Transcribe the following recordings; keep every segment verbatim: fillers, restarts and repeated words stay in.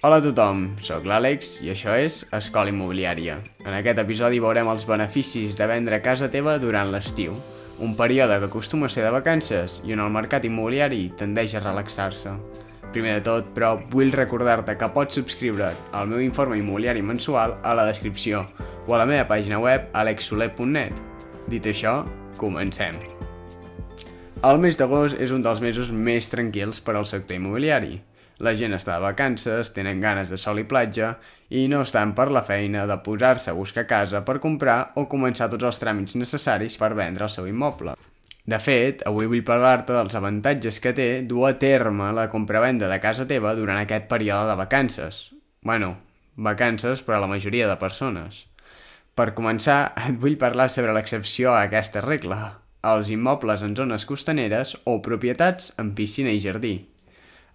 Hola a tothom, sóc l'Àlex i això és Escola Immobiliària. En aquest episodi veurem els beneficis de vendre casa teva durant l'estiu, un període que acostuma a ser de vacances i on el mercat immobiliari tendeix a relaxar-se. Primer de tot, però, vull recordar-te que pots subscriure't al meu informe immobiliari mensual a la descripció o a la meva pàgina web alex soler punt net. Dit això, comencem. El mes d'agost és un dels mesos més tranquils per al sector immobiliari. La gent està de vacances, tenen ganes de sol i platja i no estan per la feina de posar-se a buscar casa per comprar o començar tots els tràmits necessaris per vendre el seu immoble. De fet, avui vull parlar-te dels avantatges que té dur a terme la compravenda de casa teva durant aquest període de vacances. Bueno, vacances per a la majoria de persones. Per començar, et vull parlar sobre l'excepció a aquesta regla, els immobles en zones costaneres o propietats amb piscina i jardí.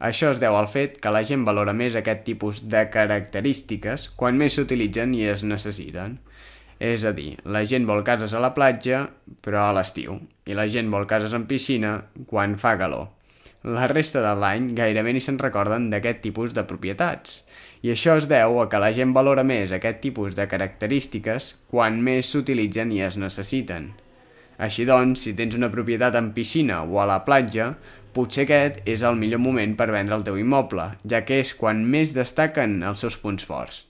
Això es deu al fet que la gent valora més aquest tipus de característiques quan més s'utilitzen i es necessiten. És a dir, la gent vol cases a la platja, però a l'estiu, i la gent vol cases amb piscina quan fa calor. La resta de l'any gairebé ni se'n recorden d'aquest tipus de propietats, i això es deu a que la gent valora més aquest tipus de característiques quan més s'utilitzen i es necessiten. Així doncs, si tens una propietat amb piscina o a la platja, potser aquest és el millor moment per vendre el teu immoble, ja que és quan més destaquen els seus punts forts.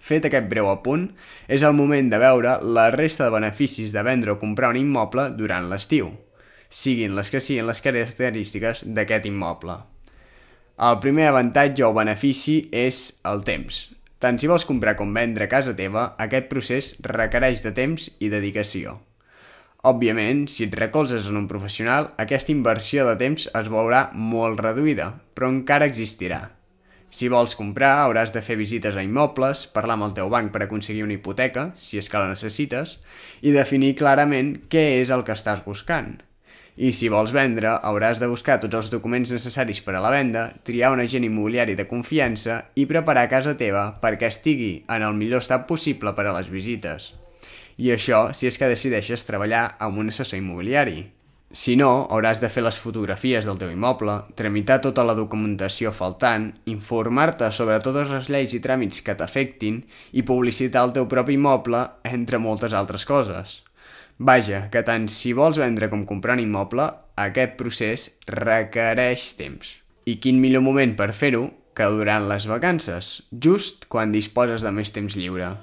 Fet aquest breu apunt, és el moment de veure la resta de beneficis de vendre o comprar un immoble durant l'estiu, siguin les que siguin les característiques d'aquest immoble. El primer avantatge o benefici és el temps. Tant si vols comprar com vendre casa teva, aquest procés requereix de temps i dedicació. Òbviament, si et recolzes en un professional, aquesta inversió de temps es veurà molt reduïda, però encara existirà. Si vols comprar, hauràs de fer visites a immobles, parlar amb el teu banc per aconseguir una hipoteca, si és que la necessites, i definir clarament què és el que estàs buscant. I si vols vendre, hauràs de buscar tots els documents necessaris per a la venda, triar un agent immobiliari de confiança i preparar casa teva perquè estigui en el millor estat possible per a les visites. I això si és que decideixes treballar amb un assessor immobiliari. Si no, hauràs de fer les fotografies del teu immoble, tramitar tota la documentació faltant, informar-te sobre totes les lleis i tràmits que t'afectin i publicitar el teu propi immoble, entre moltes altres coses. Vaja, que tant si vols vendre com comprar un immoble, aquest procés requereix temps. I quin millor moment per fer-ho que durant les vacances, just quan disposes de més temps lliure.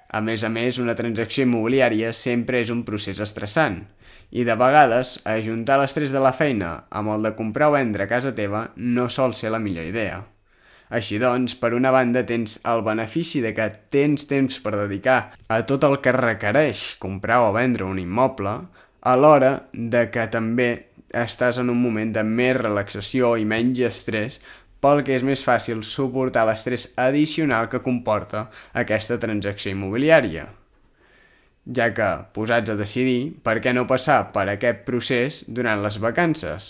A més a més, una transacció immobiliària sempre és un procés estressant i de vegades ajuntar l'estrès de la feina amb el de comprar o vendre casa teva no sol ser la millor idea. Així doncs, per una banda tens el benefici de que tens temps per dedicar a tot el que requereix comprar o vendre un immoble, alhora de que també estàs en un moment de més relaxació i menys estrès pel que és més fàcil suportar l'estrès addicional que comporta aquesta transacció immobiliària. Ja que, posats a decidir, per què no passar per aquest procés durant les vacances?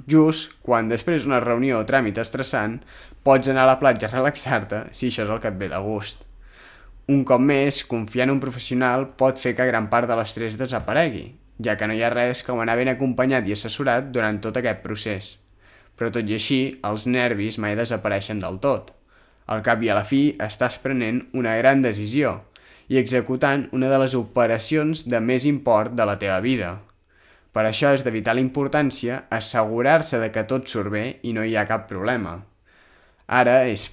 Just quan després d'una reunió o tràmit estressant pots anar a la platja a relaxar-te si això és el que et ve de gust. Un cop més, confiar en un professional pot fer que gran part de l'estrès desaparegui, ja que no hi ha res com anar ben acompanyat i assessorat durant tot aquest procés. Però tot i així, els nervis mai desapareixen del tot. Al cap i a la fi, estàs prenent una gran decisió i executant una de les operacions de més import de la teva vida. Per això és de vital importància assegurar-se de que tot surt bé i no hi ha cap problema. Ara és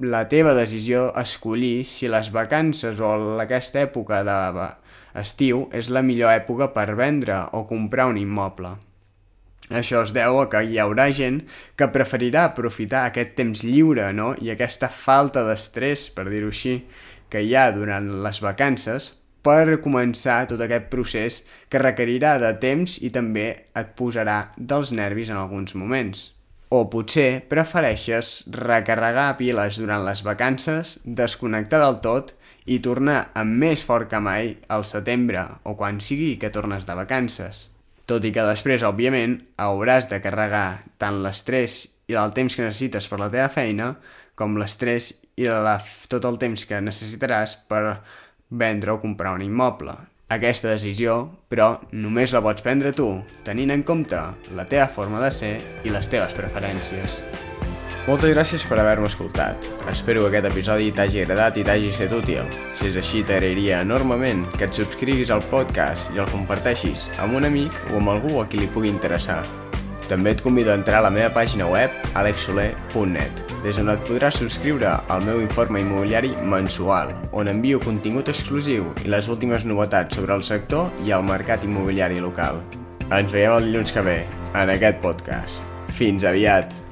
la teva decisió escollir si les vacances o aquesta època d'estiu és la millor època per vendre o comprar un immoble. Això es deu a que hi haurà gent que preferirà aprofitar aquest temps lliure, no? I aquesta falta d'estrès, per dir-ho així, que hi ha durant les vacances per començar tot aquest procés que requerirà de temps i també et posarà dels nervis en alguns moments. O potser prefereixes recarregar piles durant les vacances, desconnectar del tot i tornar amb més fort que mai al setembre o quan sigui que tornes de vacances. Tot i que després, òbviament, hauràs de carregar tant l'estrès i el temps que necessites per la teva feina, com l'estrès i la, tot el temps que necessitaràs per vendre o comprar un immoble. Aquesta decisió, però, només la pots prendre tu, tenint en compte la teva forma de ser i les teves preferències. Moltes gràcies per haver-me escoltat. Espero que aquest episodi t'hagi agradat i t'hagi estat útil. Si és així, t'agrairia enormement que et subscriguis al podcast i el comparteixis amb un amic o amb algú a qui li pugui interessar. També et convido a entrar a la meva pàgina web alex soler punt net, des on et podràs subscriure al meu informe immobiliari mensual, on envio contingut exclusiu i les últimes novetats sobre el sector i el mercat immobiliari local. Ens veiem el dilluns que ve, en aquest podcast. Fins aviat!